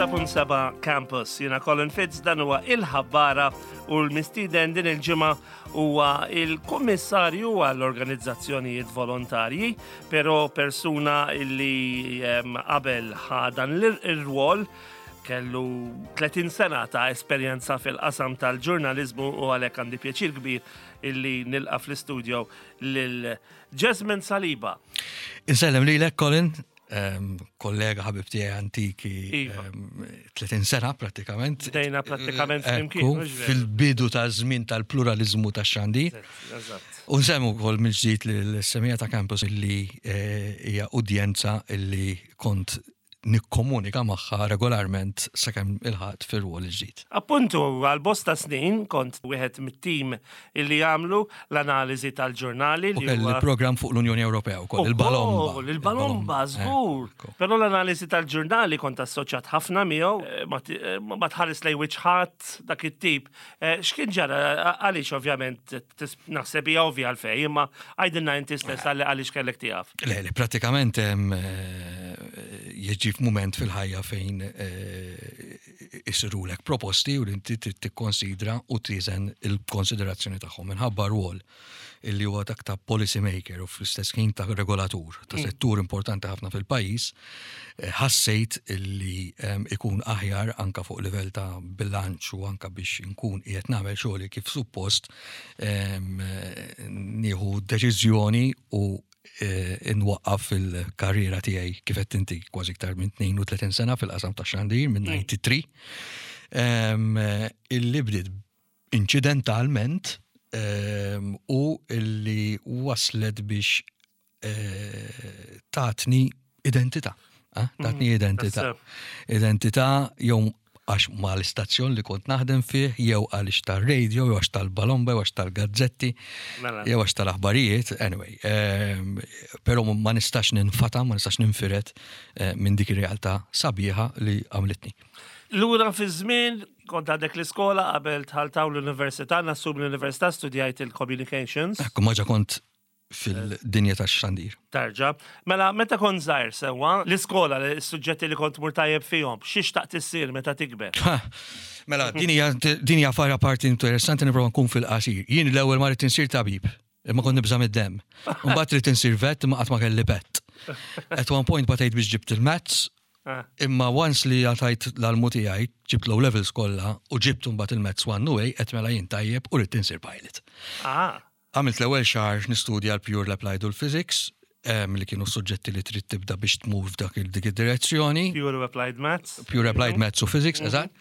106.7 Campus. Jiena Colin Fitz dan huwa il-ħabbara u l-mistieden din il-ġimgħa huwa il-kummissarju għall-organizzazzjonijiet volontarji, però persuna illi qabel ħa dan l-rwol kellu 30 sena ta' esperjenza fil-qasam tal-ġurnaliżmu u għalhekk għandi pjaċir kbir illi nilqa' fl-istudio lil Jesmond Saliba. Insellem lilek Colin, kollega ħabib tiegħi antiki 30 iva. sena prattikament. Dejna prattikament flimkien. Fil-bidu ta' żmien tal-pluralizmu ta' xandi. U nsemmu wkoll mill-ġdid l-semija ta' campus illi eh, hija udjenza illi kont nikkomunika magħha regolarment sakemm ilħaqt fir-rwol il-ġdid. Appuntu, għal bosta snin kont wieħed mit-tim illi jagħmlu l-analiżi tal-ġurnali. U kelli programm fuq l-Unjoni Ewropea wkoll, il-Balomba. Il-Balomba, eh, żgur. Però l-analiżi tal-ġurnali kont assoċjat ħafna miegħu, eh, eh, ma tħares lej wiċċ ħadd dak it-tip. X'kien ġara għaliex ovvjament naħseb hija ovvja għalfejn, imma għidilna inti stess għaliex kellek tieqaf. Le, le, pratikament jiġi f'mument fil-ħajja fejn isirulek proposti u inti trid tikkonsidra u tiżen il-konsiderazzjoni tagħhom minħabba rwol illi huwa dak ta' policy maker u fl-istess ħin ta' regolatur ta' mm. settur importanti ħafna fil-pajjiż, eh, ħassejt illi ehm, ikun aħjar anka fuq livell ta' bilanċ u anka biex inkun qiegħed nagħmel xogħli kif suppost ehm, nieħu deċiżjoni u eh, nwaqqaf il-karriera tiegħi kif qed inti kważi iktar minn 32 sena fil-qasam ta' xandir minn 93. Mm. Ehm, illi bdiet inċidentalment ehm, u illi waslet biex eh, tatni identità. Eh, tatni mhm, identità. Identità jew għax ma l-istazzjon li kont naħdem fih, jew għaliex tal-radio, jew għax tal-balomba, jew għax tal-gazzetti, mela. jew għax tal-aħbarijiet, anyway. Ehm, pero ma nistax ninfata, ma nistax ninfiret eh, minn dik ir-realtà sabiħa li għamlitni. Lura fi żmien Kont għadek l-iskola qabel dħalt hawn l-università, nassum l-università studjajt il-communications. Ekku, ma ġa kont fil-dinja tax-xandir. Tarġa. Mela, meta kont żgħir sewwa, l-iskola, s-suġġetti li kont tmur tajjeb fihom, xi xtaqt issir meta tikber? Mela, din hija din hija fara parti interessanti nipprova nkun fil-qasir. Jien l-ewwel ma ridt insir tabib, imma kont nibża' mid-demm. Imbagħad ridt insir vet imma qatt ma kelli pet. At one point batejt biex ġibt il-maths Imma once li għatajt l-almu tiegħi, ġibt l-O levels kollha u ġibt imbagħad il-Maths 1 u A, għedt mela jien tajjeb u ridt insir pilot. Għamilt l-ewwel xahar nistudja l-Pure, l-Applied u l-Physics, li kienu s-suġġetti li trid tibda biex tmur f'dak dik id-direzzjoni. Pure u Applied Maths. Pure Applied Maths u Physics, eżatt.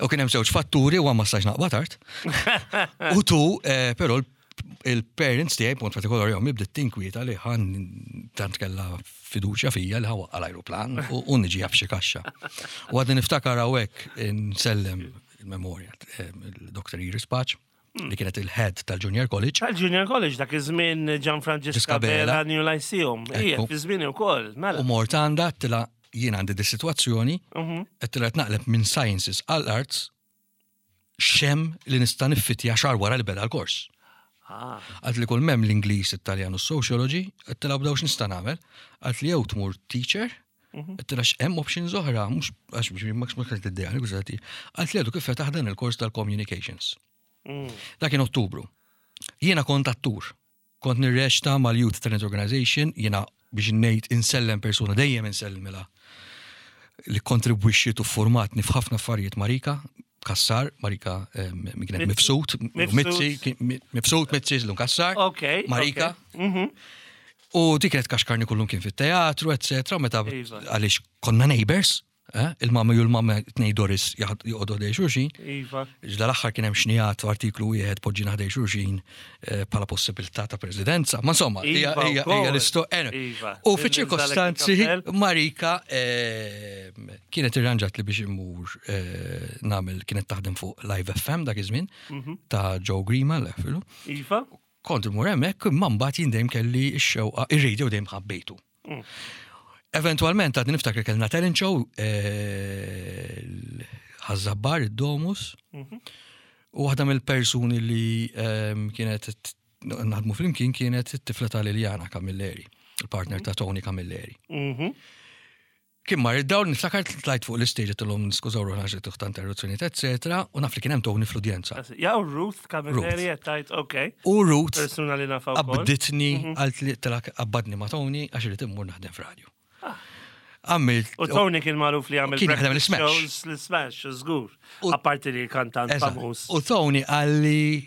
U kien hemm żewġ fatturi u ma stajtx naqbad tard. U tu, però il-parents tiegħi b'mod partikolari ommi bdiet tinkwieta li ħan tant kellha fiduċja fija li ħawaqqa l-ajruplan u niġi f'xi kaxxa. U għadni niftakar hawnhekk insellem il-memorja eh, il-Dr. Iris Paċ li kienet il-head tal-Junior College. Tal-Junior College dak iż-żmien Gian Franġiska Bela New Lyceum. Ija, fi żmien ukoll, mela. U mort għandha tila jien għandi di situazzjoni, mhm. qed tila naqleb minn sciences għal arts x'hemm li nista' niffitja xahar wara li beda l-kors. Ah. Għalt li kull mem l-Ingliż, Italjan u Sociology, għedtilha b'daw x'nista' nagħmel. Għalt li jew tmur teacher, mhm. għedtilha x'hemm options oħra, mhux għax biex ma kienet id-dejja, Għalt li għadu kif fetaħ dan il-kors tal-communications. Mm. Dak kien Ottubru. Jiena kont attur. Kont nirreċta mal-Youth Talent Organization, jiena biex ngħid insellem persuna dejjem insellmilha li kontribwixxiet u formatni f'ħafna affarijiet Marika Kassar, Marika kienet mifsud, Mizzi, mifsud, Mizzi, l Kassar, Marika. Mhm. U dik kienet kaxkarni kullum kien fit-teatru, eccetera, meta iva. għaliex konna neighbors, Eh? Il-mama ju l-mama tnej Doris joqogħdu ħdej xulxin. Iva. Iżda l-aħħar kien hemm xnijat artiklu wieħed poġġina ħdej xulxin eh, bħala possibilità ta' presidenza. Ma insomma, hija iva hija l-isto. Eh, iva. U fiċ-ċirkostanzi Marika eh, kienet irranġat li biex immur nagħmel kienet taħdem fuq Live FM dak iż-żmien mhm. ta' Joe Grima l-efilu. Iva. Kont immur hemmhekk imma mbagħad jien dejjem kelli x-xewqa, ir-radio dejjem ħabbejtu. Mm. Eventualment għadni niftakar kellna talent show eh, ħażabbar id-Domus mhm. u waħda mill-persuni li ehm, kienet naħdmu flimkien kienet it-tifla ta' Liliana Camilleri, il-partner ta' Tony Camilleri. Mhm. Kien mar id-dawl, niftakar tlajt fuq l-istage għedtilhom niskużaw ruħna għax qed ta' interruzzjonijiet, eccetera, u naf li kien hemm Tony fl-udjenza. Ja, u Ruth Camilleri qed tgħid, ok. U Ruth Persuna li nafha wkoll. Qabditni, qaltli, telak qabbadni ma' Tony għax irid immur naħdem f'radju. Għamilt. U Tony kien magħruf li għamel Kien jaħdem breakfast l-Smash. shows, l-Smash, żgur. Apparti li kantant famuż. U Tony qalli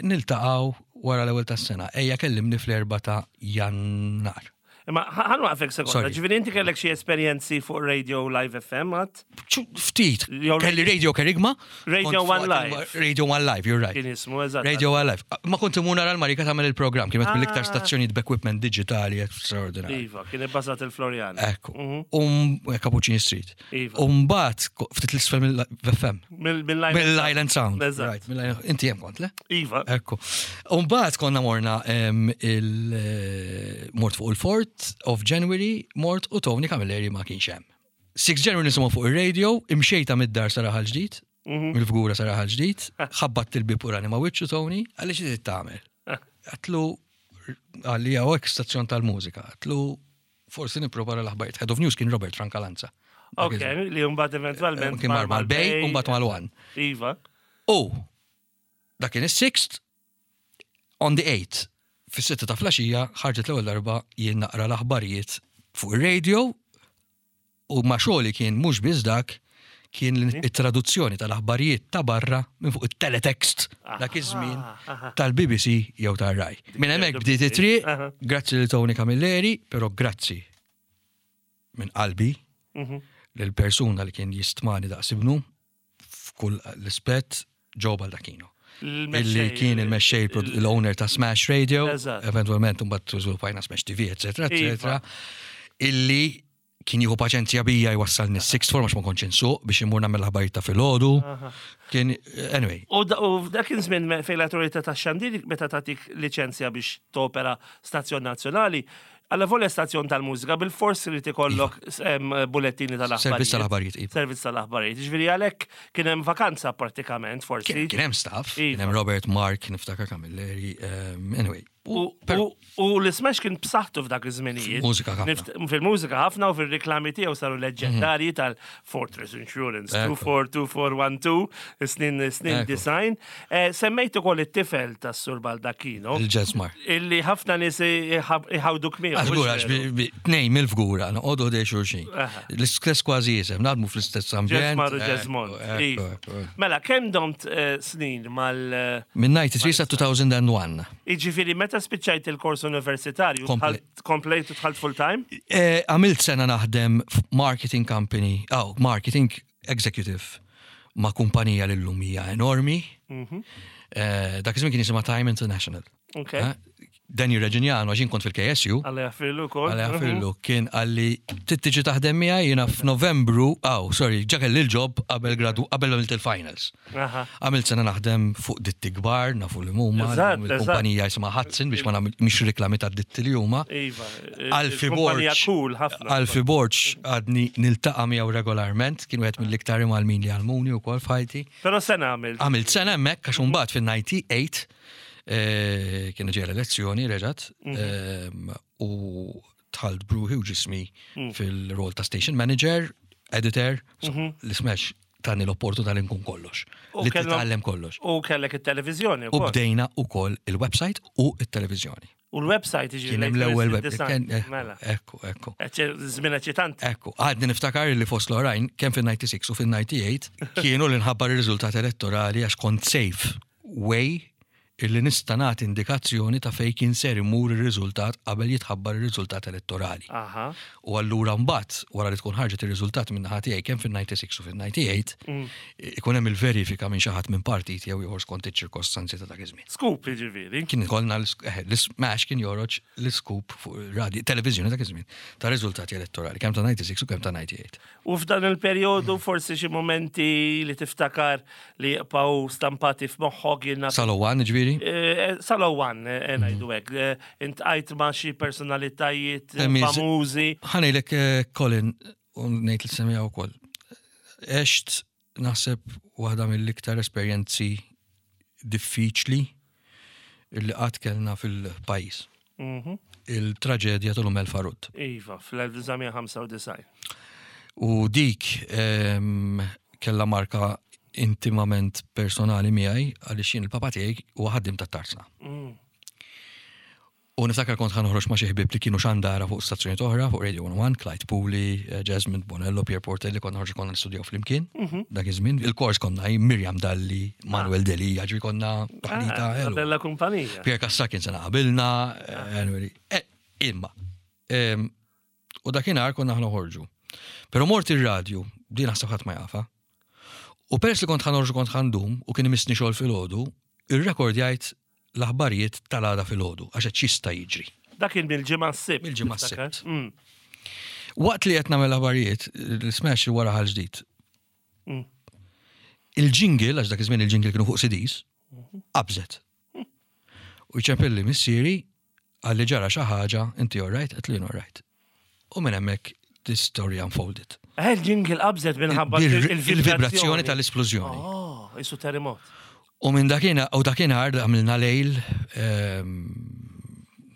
niltaqgħu wara l-ewwel tas-sena. Ejja kellimni fl-4 ta' Jannar. Imma ħa nwaqfek sekonda. Ġifieri inti kellek xi esperjenzi fuq Radio Live FM għad? Ftit. Kelli Radio Kerigma. Radio One Live. Radio One Live, you're right. Kien ismu, eżatt. Radio One Live. Ma kont imur nara l-Marika tagħmel il-programm, kienet mill-iktar ah. stazzjonijiet b'equipment digitali straordinarju. Iva, kien ibbażat il-Florian. Ekku. Mhm. Um, Cappuccini Street. Iva. Umbat, ftit l-isfel mill-FM. Mill-Island Sound. Right, inti jem kont, le? Iva. Ekku. Umbat konna morna il-mort eh, fuq il-4th of January, mort u Tony Camilleri ma kienx hemm. 6 January nisimgħu fuq ir-radio, imxejta mid-dar sa raħal ġdid, mhm. mill-fgura sa raħal ġdid, ħabbat il-bib u rani ma wiċċu Tony, għaliex trid tagħmel. Għatlu għalli għawek stazzjon tal-mużika, għatlu Forsi nipprova l-aħbarijiet. Head of News kien Robert Francalanza. Ok, li mbagħad eventwalment. Kien mar mal-Bay u mbagħad mal-One. Iva. U dak kien is-sixth on the eighth fis-sitta ta' flaxija ħarġet l-ewwel darba jien naqra l-aħbarijiet fuq ir-radio u ma xogħli kien mhux biss dak kien it-traduzzjoni tal-aħbarijiet ta' barra minn fuq it-teletext dak iż-żmien tal-BBC jew tar-Rai. Minn hemmhekk bdiet it-triq, grazzi lil Tony Camilleri, però grazzi minn qalbi mhm. lill-persuna li kien jistmani daqs ibnu f'kull l-ispett Joe Baldacchino. Illi kien il-mexxej l-owner ta' Smash Radio, eventualment mbagħad żviluppajna Smash TV, eccetera, eccetera. Iva. Illi kien jieħu paċenzja bija jwassalni s-sixth form għax ma kontx insuq biex imur nagħmel l-aħbarijiet ta' filgħodu. Kien, anyway. U dak kien żmien fejn l-awtorità tax-xandir meta tagħtik liċenzja biex topera stazzjon nazzjonali, alla volja stazzjon tal-mużika bil-fors irid ikollok iva. bulettini tal-aħbarijiet. Servizz tal-aħbarijiet. Iva. Servizz tal-aħbarijiet. Ġifieri għalhekk kien hemm vakanza prattikament forsi. Kien hemm staff, kien hemm iva. Robert Mark, niftakar Camilleri, anyway. U l-Smash kien b'saħħtu f'dak iż-żminijiet. Mużika ħafna. Fil-mużika ħafna u fil-riklami tiegħu saru leġġendarji mhm. tal-Fortress Insurance 242412 snin snin design. Eh, semmejt ukoll it-tifel tas-Sur Baldacchino. Il-Ġesmar. Illi ħafna nies iħawduk miegħu. Għażgur għax tnejn mill-fgura noqogħdu ħdej xulxin. L-istess kważi jisem, naħdmu fl-istess ambjent. Ġesmar u Ġesmond. Mela, kemm domt eh, snin mal. Eh, Minn 93 sa 2001. Jiġifieri meta spiċċajt il-kors universitarju, komplejt u dħalt full time? Eh, għamilt sena naħdem f'marketing company, oh, marketing executive ma' kumpanija li llum hija enormi. Mhm. Eh, dak iż-żmien kien jisimha Time International. Okay. Eh, Danny Reġinjano, għax jien kont fil-KSU. Għalli jaffirlu kol. Għalli jaffirlu, mhm. kien għalli tittiġi taħdem miegħi jiena f'Novembru, aw, sorry, ġa kelli l-ġob qabel gradu, qabel għamilt il-finals. Għamilt sena naħdem fuq ditti kbar, nafu li huma, il-kumpanija jisimha Hudson biex ma nagħmel mhix riklami ta' ditti li huma. Iva. Alfi Borg. Alfi Borg għadni niltaqa' miegħu regolarment, kien wieħed mill-iktar imgħallmin li għallmuni wkoll f'ħajti. Però sena għamilt. Għamilt sena hemmhekk għax imbagħad fin-98 eh, kien ġejja l-elezzjoni reġgħet mhm. ehm, u dħalt bruħi u ġismi mm. fil-rol ta' station manager, editor, mhm. l-ismex tani l-opportunità li nkun kollox. Li titgħallem kollox. U kellek it-televiżjoni U bdejna ukoll il-website u it-televiżjoni. U l-website ġi. Kien hemm l-ewwel website. Eh, mela. Ekku, ekku. Żmien eċitanti. Ekku, għadni niftakar li fost l-oħrajn kemm fin-96 u fin-98 kienu li nħabbar ir-riżultat elettorali għax kont safe way illi nista' nagħti indikazzjoni ta' fejn kien ser imur ir-riżultat qabel jitħabbar ir-riżultat elettorali. U allura mbagħad, wara li tkun ħarġet ir-riżultat min-naħa tiegħi kemm fin-96 u fin-98, ikun hemm il-verifika minn xi ħadd minn partit jew ieħor skont iċ-ċirkostanzi ta' dak iż-żmien. Scoop jiġifieri. Kien ikollna l-smash kien joħroġ l-scoop fuq radio, televiżjoni dak iż-żmien ta' riżultati elettorali, kemm ta' 96 u kemm ta' 98. U f'dan il-perjodu forsi xi mumenti li tiftakar li jibqgħu stampati f'moħħok jien Sal-Owan, ġifieri? Eh, eh, Sal-Owan, eh, ngħidu hekk. Intqajt ma' xi personalitajiet famużi. Ħanejlek Colin, u ngħid li semija wkoll. Għext naħseb waħda mill-iktar esperjenzi diffiċli li qatt kellna fil-pajjiż. Mhm. Il-traġedja tal-Umel Farud. Iva, fl-1995. U dik kellha marka intimament personali miegħi għaliex jien il-papa tiegħi huwa ħaddiem tat-tarzna. U niftakar kont ħa noħroġ ma' xi ħbieb li kienu xandara fuq stazzjonijiet oħra, fuq Radio 101, Clyde Puli, eh, Jasmine Bonello, Pierre Portelli, konna noħorġu konna nistudjaw flimkien mhm. dak iż-żmien. Il-kors konna Miriam Dalli, Manuel ah. Deli, ġifieri konna taħlita. Ah, bella kumpanija. Pierre Kassa kien sena qabilna, ah. eh, imma. U dakinhar konna ħa noħorġu. Però mort ir-radju, din naħseb ħadd ma jafha. U peress li kont ħa noħorġu kont ħa ndum u kien imissni xogħol filgħodu, ir-rekord jgħid l-aħbarijiet tal-għada filgħodu għax qed x'jista' jiġri. Dak kien mill-ġimgħa s-sibt. Mill-ġimgħa s-sibt. Mm. Waqt li qed nagħmel aħbarijiet, l-smash wara ħal ġdid. Mm. Il-jingle, għax dak iż-żmien il-jingle kienu fuq CDs, mhm. qabżet. U jċempilli missieri Qalli ġara xi ħaġa, inti all right? Għedtlu jien all right. U minn hemmhekk this story unfolded. Eh, il-jingle qabżet minħabba il-vibrazzjoni tal-isplużjoni. Oh, isu terremot. U minn dakinhar u dakinhar għamilna lejl ehm,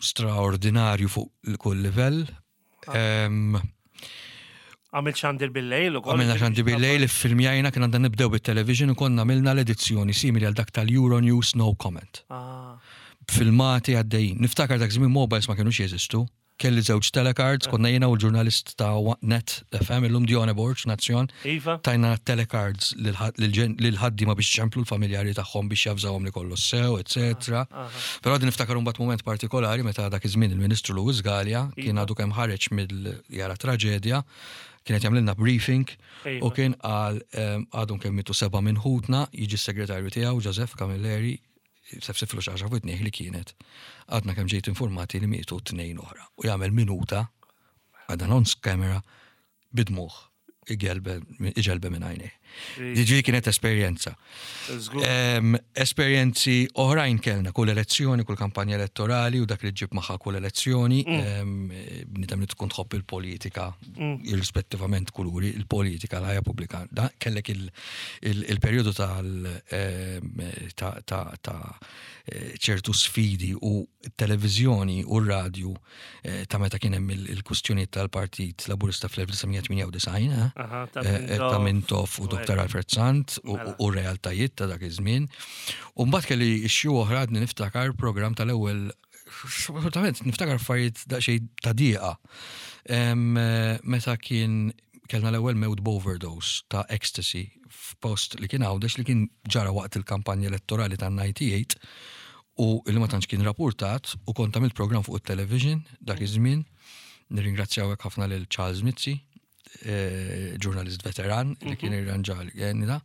straordinarju fuq kull livell. Għamil xandir bil-lejl u Għamilna xandir bil-lejl, filmjajna kien għandna nibdew bit-television u konna għamilna l-edizzjoni simili għal dak tal-Euronews No Comment. Ah. Filmati għaddejjin. Niftakar dak żmien mobiles ma kienux jeżistu. Kelli żewġ telecards, konna jiena u l-ġurnalist ta' Net FM, illum Dione Borg, Nazzjon. Iva. Tajna telecards lil-ħaddiema biex iċemplu l-familjari tagħhom biex javżawhom li kollox sew, eċetera. Però għadni niftakar imbagħad mument partikolari meta dak iż-żmien il-Ministru Louis Galea kien għadu kemm ħareġ mill jara traġedja, kien qed jagħmlilna briefing u kien qal għadhom kemm mietu seba' minn ħutna, jiġi s-segretarju tiegħu Joseph Camilleri, sefsiflu xi ħaġa f'widnih li kienet għadna kemm ġejt informati li mietu tnejn oħra u jagħmel minuta għadha on camera bid-dmugħ iġelbe minn għajnejh. Ġifieri kienet esperjenza. Esperjenzi oħrajn kellna kull elezzjoni, kull kampanja elettorali u dak li ġib magħha kull elezzjoni, mm. bnidem li tkun tħobb il-politika, mm. irrispettivament kuluri, il-politika, l-ħajja pubblika. Da kellek il-perjodu tal ta' ċertu sfidi u t-televiżjoni u r-radju eh, ta' meta kien hemm il-kwistjonijiet tal-Partit Laburista fl-1998 eh, eh, ta' Mintoff u Dr. Alfred Sant u mela. realtajiet ta' dak iż-żmien. U mbagħad kelli issue oħra għadni niftakar programm tal-ewwel Assolutament, niftakar affarijiet daqsxejn ta' dieqa. Meta kien kellna l-ewwel mewt b'overdose ta' ecstasy f'post li kien Għawdex li kien ġara waqt il-kampanja elettorali tan-98 u li ma tantx kien rapportat u kont għamilt programm fuq it-television dak iż-żmien. Nirringrazzjaw hekk ħafna lil Charles Mizzi, eh, ġurnalist veteran li kien mhm. irranġa da.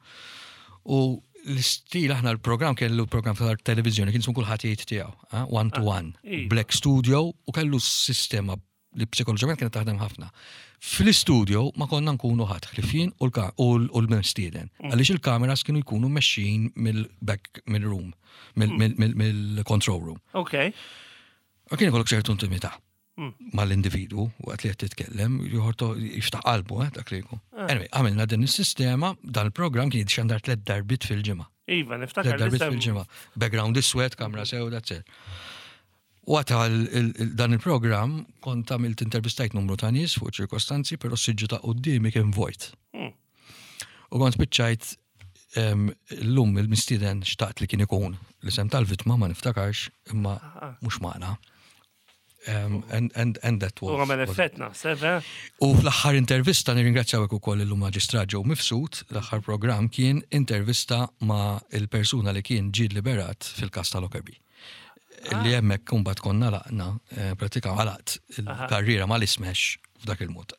U l-istil aħna l-programm kellu program tal-televizjoni kien ismu kulħadd jgħid tiegħu, eh, one to ah, one, iva. Black Studio u kellu sistema li psikoloġikament kienet taħdem ħafna. Fl-istudio ma konna nkunu ħadd ħlief jien u l-mistieden. Mm. Għaliex il-kameras kienu jkunu mexxin mill-back mill-room, mm. mill-control room. Ok. U kien ikollok ċertu intimità mm. mal-individu waqt li qed titkellem, joħorto jiftaħ qalbu eh, dak li jkun. Ah. Anyway, għamilna din is-sistema, dan il-programm kien jitxandar tliet darbit fil-ġimgħa. Iva, niftakar. Tliet darbit fil-ġimgħa. Background iswed, kamra sewda, etc. Waqt dan il-programm kont għamilt intervistajt numru ta' nies fuq ċirkostanzi, però s-siġġu ta' quddiemi kien vojt. Hmm. U kont spiċċajt l-lum il-mistieden xtaqt li kien ikun l-isem tal-vittma ma niftakarx imma ah. mhux magħna. And, and, and that was. U għamel effett naħseb, eh? U fl-aħħar intervista nirringrazzjaw ukoll illum maġistrat Joe Mifsud, l-aħħar programm kien intervista ma' il-persuna li kien ġie liberat fil-kas ta' Lockerbie. Li ah. hemmhekk kumbat konna laqna, eh, pratika għalaqt il-karriera ma l-ismex f'dak il-mod.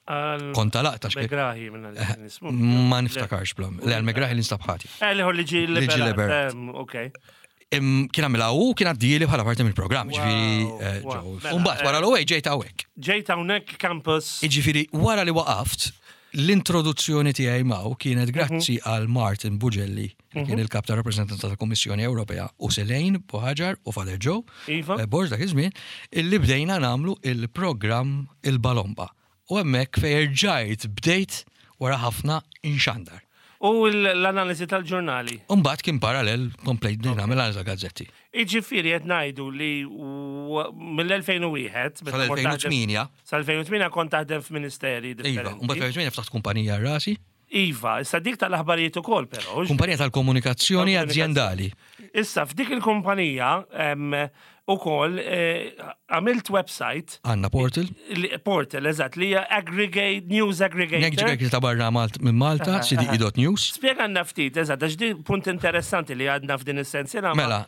Kont għalaqt għax. Megrahi minna li eh, Ma niftakarx blam. Le, għal-Megrahi li nstab ħati. Eh, liħor li ġi liberat. Ok. Kien għamilha u kien għaddili bħala parti mill-programm, ġifieri. Mela, Umbagħad wara l-ewwel ġejt hawnhekk. Ġejt hawnhekk campus. Jiġifieri wara li waqaft, l-introduzzjoni tiegħi maw kienet mhm. grazzi għal Martin Bugelli, li kien mhm. il-kap ta' rappreżentanza tal-Kummissjoni Ewropea u Selejn Buħaġar u Father Joe. Iva. Eh, Borġ dak iż-żmien, illi bdejna nagħmlu il-programm il-Balomba. U hemmhekk fejn rġajt bdejt wara ħafna inxandar. U l-analiżi tal-ġurnali? Umbagħad kien parallel komplejt nagħmel analiżi gazzetti. Iġifieri qed ngħidu li mill-2001 sal-2008 sal-2008 kont taħdem f'ministeri differenti. Iva, mbagħad 2008 ftaħt kumpanija rasi. Iva, issa dik tal-aħbarijiet ukoll però. Kumpanija tal-komunikazzjoni aziendali. Issa f'dik il-kumpanija ukoll eh, għamilt website. Għanna portal. Portal, eżatt, li hija aggregate, news aggregator. Aggregate ta' barra minn Malta, cde.news. Spjega ftit, eżatt, għax di punt interessanti li għadna f'din is-sensiela. Mela,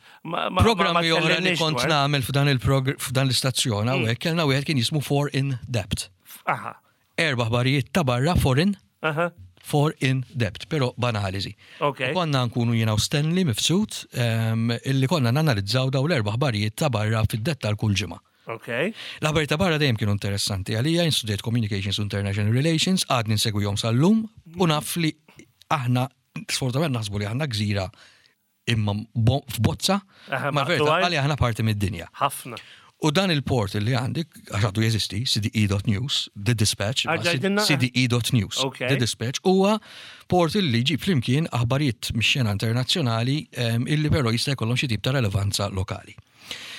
programmi oħra li kont nagħmel f'dan f'dan l-istazzjon mm. hawnhekk kellna wieħed kien jismu For in Depth. Aha. Erba' aħbarijiet ta' barra foreign, for in depth, pero b'analiżi. Okay. Konna nkunu jiena u Stanley Mifsud illi konna nanalizzaw daw l-erba' aħbarijiet ta' barra fid-dettal kull ġimgħa. Okay. L-aħbarijiet ta' barra dejjem kienu interessanti għalija, jien studjajt Communications u International Relations, għadni nsegwihom sal-lum u naf li aħna sfortunatament naħsbu li aħna gżira imma f'bozza, ma verità għalli aħna parti mid-dinja. Ħafna. U dan il-portal li għandi, għax għadu jeżisti, cde.news, The Dispatch, cde.news, The Dispatch, huwa portal li jġib flimkien aħbarijiet mix-xena internazzjonali illi però jista' jkollhom xi tip ta' relevanza lokali.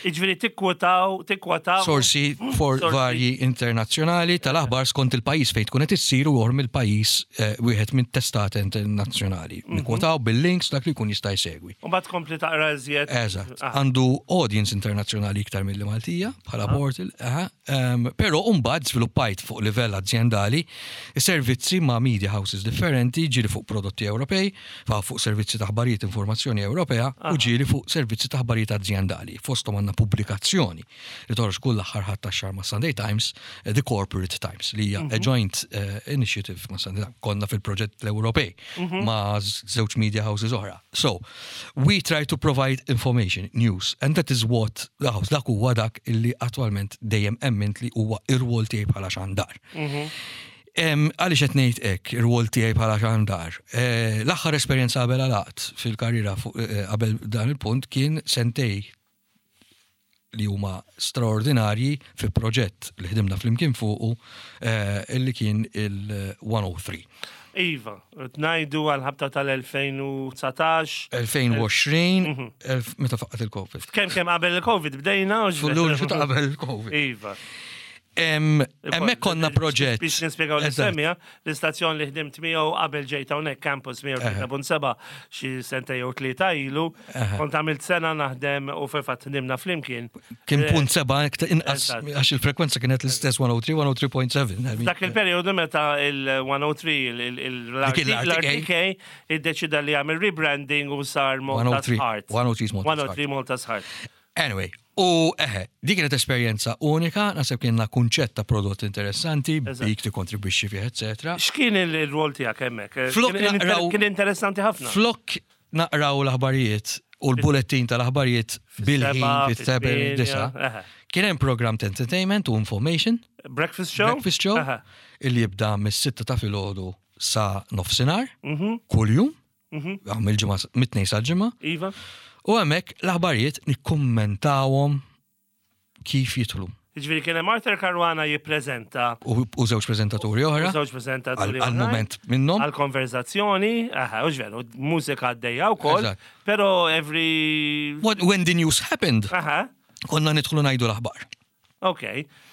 Iġveri tikkwotaw, tikkwotaw. Sorsi for varji internazzjonali tal-aħbar skont il-pajjiż fejn tkun qed issir u oħra mill-pajjiż eh, wieħed minn testat internazzjonali. Mhm. Nikkwotaw bil-links dak li jkun jista' jsegwi. U mbagħad tkompli taqra iżjed. Eżatt. Ah. Għandu audience internazzjonali iktar milli Maltija bħala ah. portal, però mbagħad żviluppajt fuq livell azjendali servizzi ma' media houses differenti, ġieli fuq prodotti Ewropej, fa fuq servizzi ta' aħbarijiet informazzjoni Ewropea u ġieli fuq servizzi ta' aħbarijiet azjendali. Fosthom għandna pubblikazzjoni li toħroġ kull aħħar Ħadd tax-xahar ma' Sunday Times, eh, The Corporate Times, li hija a mhm. joint eh, initiative ma' Sunday Times. Konna fil-proġett l-Ewropej mhm. ma' żewġ media houses oħra. So, we try to provide information, news, and that is what dak huwa dak illi attwalment dejjem emmint li huwa ir-rwol tiegħi bħala xandar. Mhm. Għaliex qed ngħid hekk, ir-rwol tiegħi bħala xandar? Eh, l-aħħar esperjenza qabel għalaqt fil-karriera eh, qabel dan il-punt kien sentej li huma straordinarji fi proġett li ħdimna flimkien fuqu eh, illi kien il-103. Iva, ngħidu għal-ħabta tal-2019. 2020, mhm. meta faqqat il-Covid. Kemm kemm qabel il-Covid bdejna? Fullur qabel il-Covid. Iva. Hemmhekk konna proġett. Biex nispjegaw l-semmija, l-istazzjon li ħdimt miegħu qabel ġejt hawnhekk campus 103.7 xi senta jew tlieta ilu, kont għamilt sena naħdem u fil-fatt ħdimna flimkien. Kien eh, punt seba' inqas għax il-frekwenza kienet l-istess 103, 103.7. Dak il-perjodu meta il-103 l-RTK iddeċida li jagħmel rebranding u sar Malta's Heart. 103 Malta's Malta's Heart. Anyway, u eħe, dik kienet esperjenza unika, naħseb kienna kunċett ta' prodott interessanti, bik tikkontribwixxi fih, eccetera. X'kien il-rol tiegħek hemmhekk? Kien interessanti ħafna. Flok naqraw l-aħbarijiet u l-bulettin tal-aħbarijiet bil-ħin fit-seba' disa. Kien hemm program ta' entertainment u information. Breakfast show? Breakfast show. Illi jibda mis-sitta ta' filgħodu sa nofsinhar, mhm. kuljum. Mhm. Mill-ġimgħa mit-tnejn sal-ġimgħa. Iva. U hemmhekk l-aħbarijiet nikkummentawhom kif jidħlu. Ġifieri kien hemm Arthur Caruana jippreżenta. U żewġ preżentaturi oħra. U żewġ preżentaturi oħra. Għal-mument minnhom. Għal-konverzazzjoni, aha, u ġveru, mużika għaddejja wkoll. Però every. When the news happened. Aha. Konna nidħlu ngħidu l-aħbar. Ok.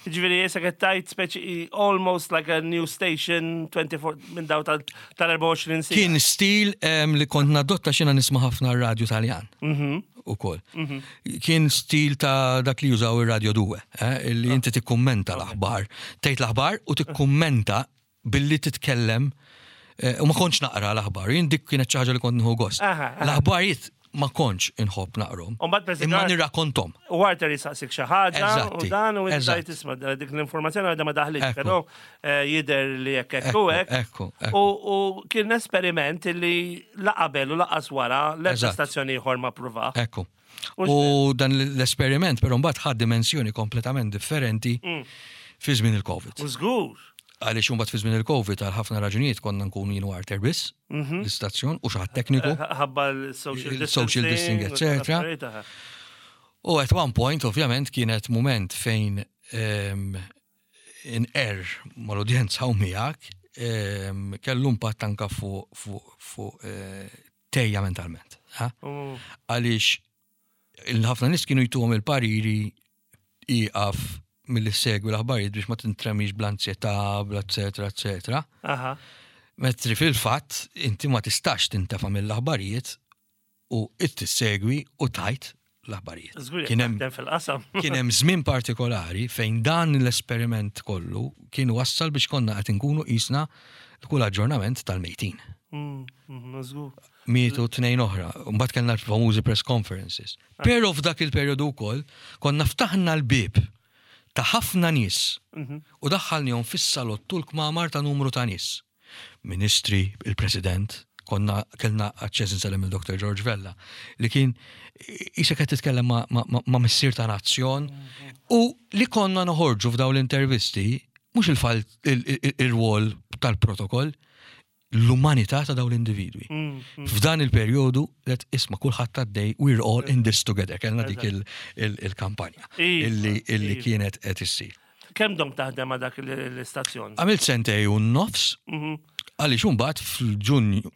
Ġifieri jesa qed tgħid speċi almost like a new station 24 minn daw tal-24 siegħa. Kien stil li kont nadotta xina nisma' ħafna r-radju Taljan. Mhm. Ukoll. Mhm. Kien stil ta' dak li jużaw ir-radio due, eh, li inti tikkummenta l-aħbar. Tgħid l-aħbar u tikkummenta billi titkellem eh, u ma kontx naqra l-aħbar, jien dik kienet xi ħaġa li kont nieħu gost. L-aħbarijiet ma kontx inħobb naqrom. Imma nirrakkontom. U Arthur jisaqsik xi ħaġa u dan u inti tisma' dik l-informazzjoni għadha ma daħlitx, però eh, jidher li hekk hekk u hekk. U kien esperiment li la qabel u laqas wara l-ebda stazzjoni ieħor ma pruva. Ekku. U dan l-esperiment però mbagħad ħa dimensjoni kompletament differenti mm. fi żmien il-Covid. U żgur. Għaliex imbagħad fi żmien il-Covid għal ħafna raġunijiet konna nkunu jien u Arthur biss mhm. l-istazzjon u xi ħadd tekniku. Eh, ħabba l-social distancing, etc. U at one point, ovvjament, kienet moment fejn ehm, inqerr mal-udjenza u miegħek. Kellu impatt anka fuq fuq fuq eh, tejja mentalment. Għaliex il-ħafna nies kienu jtuhom il-pariri iqaf milli segwi l-aħbarijiet biex ma tintremix bl-anzjetà, bla eccetera, eccetera. Metri fil-fatt inti ma tistax tintefa' mill-aħbarijiet u tissegwi u tajt l-aħbarijiet. Kien hemm fil-qasam. Kien hemm żmien partikolari fejn dan l-esperiment kollu kien wassal biex konna qed inkunu qisna kull aġġornament tal-mejtin. Mietu tnejn oħra, mbagħad kellna l-famużi press conferences. Però f'dak il-perjodu wkoll konna ftaħna l-bieb ta' ħafna nies u daħħalnihom fis-salott u l-kmamar ta' numru ta' nies. Ministri, il-President, konna kellna aċċess insellem il-Dr. George Vella, li kien qisek qed titkellem ma', ma, ma, ma missier ta' nazzjon u li konna noħorġu f'dawn l-intervisti mhux il-rwol tal-protokoll, l-umanità ta' dawn l-individwi. F'dan il-perjodu let isma' kulħadd għaddej we're all in this together, kellna dik il-kampanja illi kienet qed issir. Kemm domt taħdem ma' dak l-istazzjon? Għamilt sentej u nofs, għaliex imbagħad fil-Ġunju,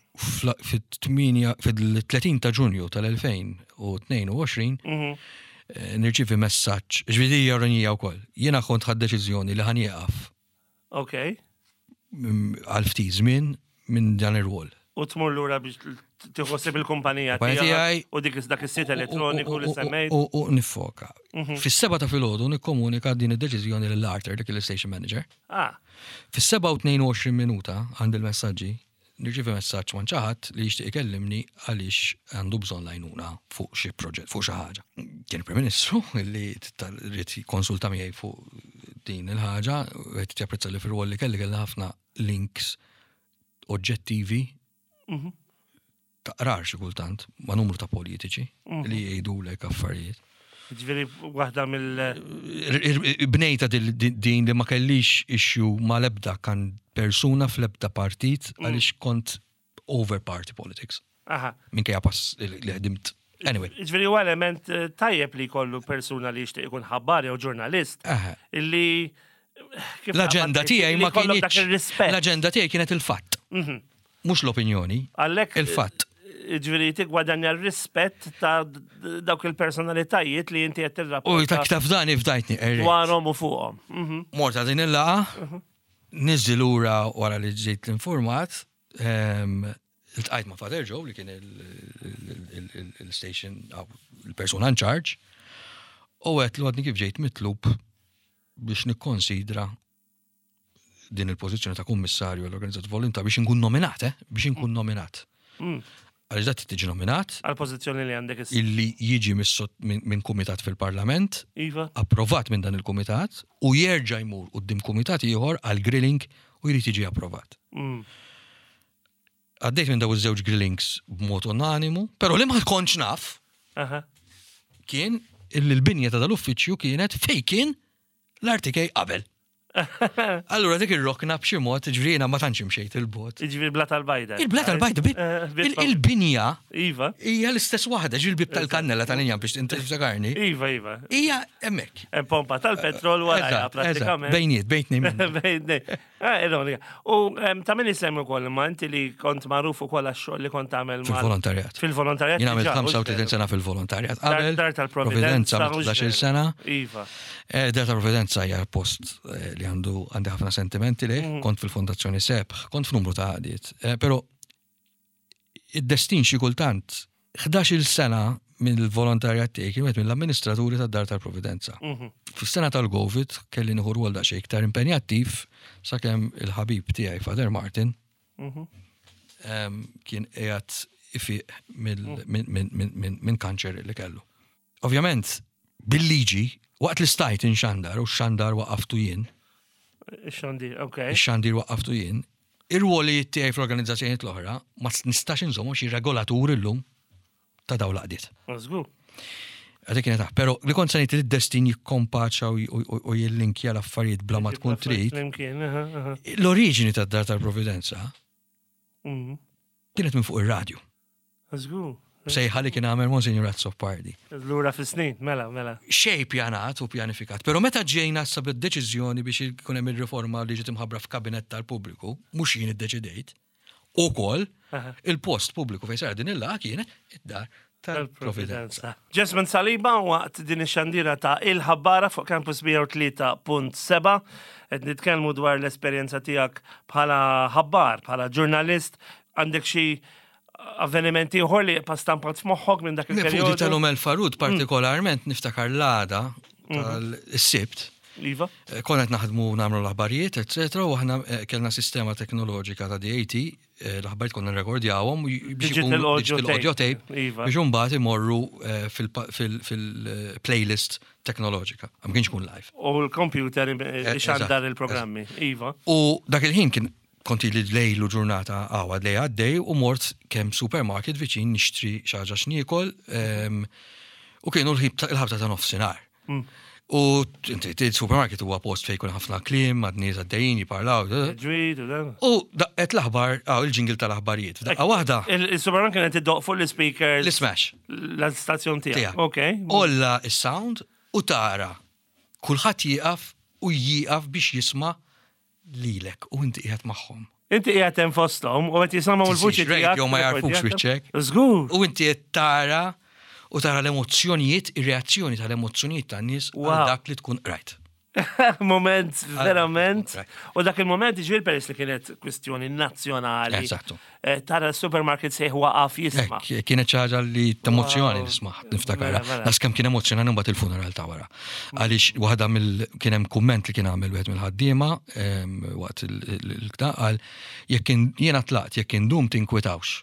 fil-30 ta' Ġunju tal-2022, nirċievi messaġġ, ġifieri hija ironija wkoll. Jiena kont ħadt deċiżjoni li ħa nieqaf. Ok. Għal ftit żmien minn dan ir-rwol. U tmur lura biex tieħu ħsieb il-kumpanija tiegħi u dik dak is-sit elettroniku li semmejt. U nifoka. Fis-seba ta' filgħodu nikkomunika din id-deċiżjoni lil Arthur, dik il-station manager. Fis-7 u 22 minuta għand il-messaġġi nirċievi messaġġ ma' xi ħadd li jixtieq ikellimni għaliex għandu bżonn l-għajnuna fuq xi proġett, fuq xi ħaġa. Kien il-Prim Ministru li ried jikkonsulta miegħi fuq din il-ħaġa, qed japprezza li fir-rwol li kelli kellna ħafna links oġġettivi taqrar xi kultant ma' numru ta' politiċi li jgħidulek affarijiet. Ġifieri waħda mill. Bnejta din li ma kellix issue ma l-ebda kan persuna fl-ebda partit għaliex kont over party politics. Minkejja pass li ħdimt. Anyway. Ġifieri huwa element tajjeb li jkollu persuna li jixtieq ikun ħabbar jew ġurnalist illi L-aġenda tiegħi ma kienx. L-aġenda tiegħi kienet il-fatt. Mhux l-opinjoni. Għalhekk il-fatt. Ġifieri tigwadanja r-rispett ta' dawk il-personalitajiet li inti qed tirrapporta. U ta' taf dan ifdajtni. Dwarhom u fuqhom. Morta din il-laqgħa, niżli lura wara li ġejt l-informat, iltqajt ma' Father Joe li kien il-station, il-persuna in charge, u għedtlu għadni kif ġejt mitlub biex nikkonsidra din il-pożizzjoni ta' kummissarju għall-organizzat volontar biex inkun nominat, eh? Biex inkun nominat. Għaliex dak tiġi nominat. Għal-pożizzjoni li għandek issa. Illi jiġi minn kumitat fil-Parlament. Iva. Approvat minn dan il-kumitat u jerġa' jmur quddiem kumitat ieħor għal grilling u jrid jiġi approvat. Għaddejt minn daw iż-żewġ grillings b'mod unanimu, però li ma kontx naf kien illi l-binja ta' dal-uffiċċju kienet fej kien l-RTK qabel. Allura dik ir-rokna b'xi mod, ġifieri jiena ma tantx imxejt il-bogħod. Ġifieri bla tal-bajda. Il-bla tal-bajda, il-binja Iva. Hija l-istess waħda, ġifieri l-bib tal-kannella tal-injam biex inti tiftakarni. Iva, iva. Hija hemmhekk. Hemm pompa tal-petrol wara pratikament. Bejniet, bejtni. Bejtni. Eh, ironika. U ta' min isemmi wkoll imma inti li kont magħruf ukoll għax-xogħol li kont tagħmel fil-volontarjat. Fil-volontarjat. Jien għamilt 35 sena fil-volontarjat. Qabel Dar tal-Providenza 11 sena. Iva. Eh, Dar tal-Providenza hija post eh, li għandu għandi ħafna sentimenti li kont fil-Fondazzjoni Sebħ, kont f'numru ta' għadiet. Però id-destin xi kultant 11-il sena mill-volontarjat tiegħi kien wieħed mill-amministraturi tad-Dar tal-Providenza. Mhm. Fis-sena tal-Covid kelli nieħu rwol daqsxejn iktar impenjattiv sakemm il-ħabib tiegħi Father Martin mhm. kien qiegħed ifiq mhm. minn kanċer li kellu. Ovvjament, bil-liġi, waqt li stajt inxandar u x-xandar waqaftu jien. Ix-xandir, ok. Ix-xandir waqaftu jien. Ir-rwolijiet tiegħi fl-organizzazzjonijiet l-oħra ma nistax inżommhom xi regolatur illum ta' dawn l-għaqdiet. Żgur. Għadek kienet taħ, pero li kont se ngħid li d-destin jikkompaċa u jillinkja l-affarijiet bla ma tkun trid. L-oriġini tad-Dar tal-Providenza mhm. kienet minn fuq ir-radju. Żgur. Sejħa li kien għamel Monsignor Azzopardi. Lura fis-snin, mela, mela. Xej pjanat u pjanifikat. Pero meta ġejna sa bid-deċiżjoni biex ikun hemm ir-riforma li ġiet imħabbra f'kabinett tal-pubbliku, mhux jien iddeċidejt, ukoll il-post pubbliku fejn sar din il-laqgħa kienet id-dar tal-Providenza. Jesmond Saliba waqt din ix-xandira ta' Il-Ħabbara fuq Campus 103.7 qed nitkellmu dwar l-esperjenza tiegħek bħala ħabbar, bħala ġurnalist, għandek xi avveniment ieħor li jibqa' stampat f'moħħok minn dak il-perjodu? Fuq tal-Umel Farud mm. partikolarment niftakar l-għada mm. tal-sibt. Iva. Eh, konna qed naħdmu nagħmlu l-aħbarijiet, eċetera, u aħna eh, kellna sistema teknoloġika ta' DAT, eh, l-aħbarijiet konna nrekordjawhom digital audio tape iva. biex imbagħad imorru fil-playlist teknoloġika. Ma kienx kun live. U l-computer ixandar il-programmi, iva. U dak il-ħin kien Kont ili lejl u ġurnata għawad lej għaddej u mort kemm supermarket viċin nixtri xi ħaġa x'niekol u kienu l-ħabta ta' nofsinhar. Mm. U inti il-supermarket huwa post fejn jkun ħafna kliem, għad nies għaddejjin jiparlaw. U daqqet l-aħbar, għaw il-ġingil tal-aħbarijiet. F'daqqa waħda. Il-supermarket kienet iddoq fuq l-speaker. L-smash. L-istazzjon tiegħek. Ok. Olla is-sound u tara. Kulħadd jieqaf u jieqaf biex jisma' lilek u inti qiegħed magħhom. Inti qiegħed hemm fosthom u qed jisimgħu l-vuċi tiegħek. Radio ma jarfux wiċċek. Żgur. U inti qed tara u tara l-emozzjonijiet, ir-reazzjoni tal-emozzjonijiet tan-nies għal dak li tkun qrajt. Moment, verament. U dak il-moment ġifieri peress li kienet kwistjoni nazzjonali. Eżattu. Eh, tara l-supermarket sejħ waqaf jisma. Kienet ċaġa li t-emozjoni nisma' niftakara. Mela, mela. Nas kemm kien emozjonani mbagħad il-funeral ta' wara. Għaliex waħda mill kien hemm kumment li kien għamel wieħed mill-ħaddiema ehm, waqt il-kta qal jekk jiena tlaqt jekk indum tinkwitawx.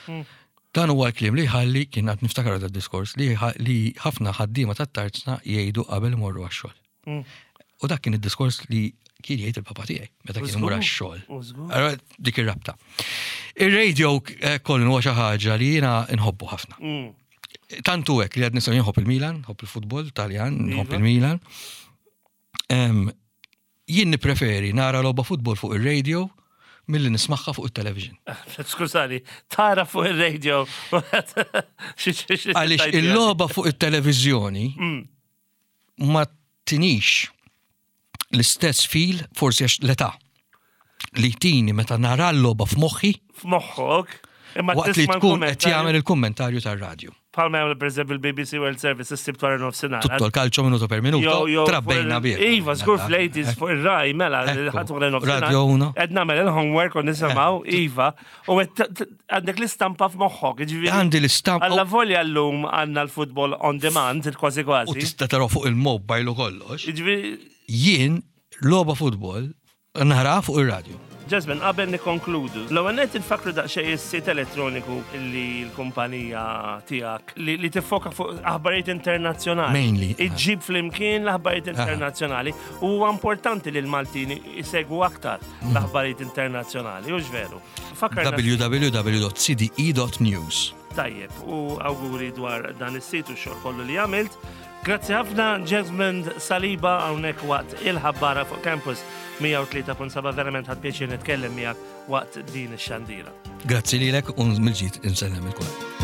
Hmm. Dan huwa l-kliem li ħalli kien għad niftakar da diskors li ħafna ħaddiema tat-tarzna jgħidu qabel imorru għax-xogħol. Mm. U dak kien id-diskors li kien jgħid il-papa tiegħi meta kien imur għax-xogħol. Allora dik ir-rabta. Ir-radio eh, kollu huwa xi ħaġa li jiena nħobbu ħafna. Mm. Tantu hekk li għad nistgħu nħobb il-Milan, nħobb il-futbol Taljan, nħobb iva. il-Milan. Jien nippreferi nara logħba futbol fuq ir-radio milli nismagħha fuq it-television. Skużani, tara fuq ir-radio. Għaliex il-logħba fuq it-televiżjoni mm. ma tinix l-istess fil, forsi għax l-età, li tini meta nara l-logħba f'moħħi. F'moħħok. Imma waqt li tkun qed jagħmel il-kummentarju tar-radju. Palma jagħmel pereżempju il-BBC World Service is-sibt wara nofsinhar. Tutto l-calcio minuto per minuto. Trabbejna bih. Iva, żgur fl-80s fuq ir-raj mela ħadd wara nofsinhar. Radio uno. Qed nagħmel il-homework u nisimgħu iva. U għandek l-istampa f'moħħok, ġifieri. Għandi l-istampa. Alla volja llum għandna l-futbol on demand, kważi kważi. U tista' taraw fuq il-mobile u kollox. Ġifieri. Jien logħba futbol nara fuq ir-radju. Jasmine, qabel nikkonkludu, l-ewwel nett infakkru daqsxejn is-sit elettroniku li l-kumpanija tiegħek li tiffoka fuq aħbarijiet internazzjonali. Mainly. Iġġib flimkien l-aħbarijiet internazzjonali u huwa importanti li l-Maltin isegwu aktar l-aħbarijiet internazzjonali, hux veru? www.cde.news. Tajjeb, u awguri dwar dan is-sit u x-xogħol kollu li għamilt. Grazzi ħafna Jesmond Saliba hawnhekk waqt il-ħabbara fuq Campus 103.7 verament ħadd pjaċir nitkellem miegħek waqt din ix-xandira. Grazzi lilek u mill-ġid insellem il-kulħadd.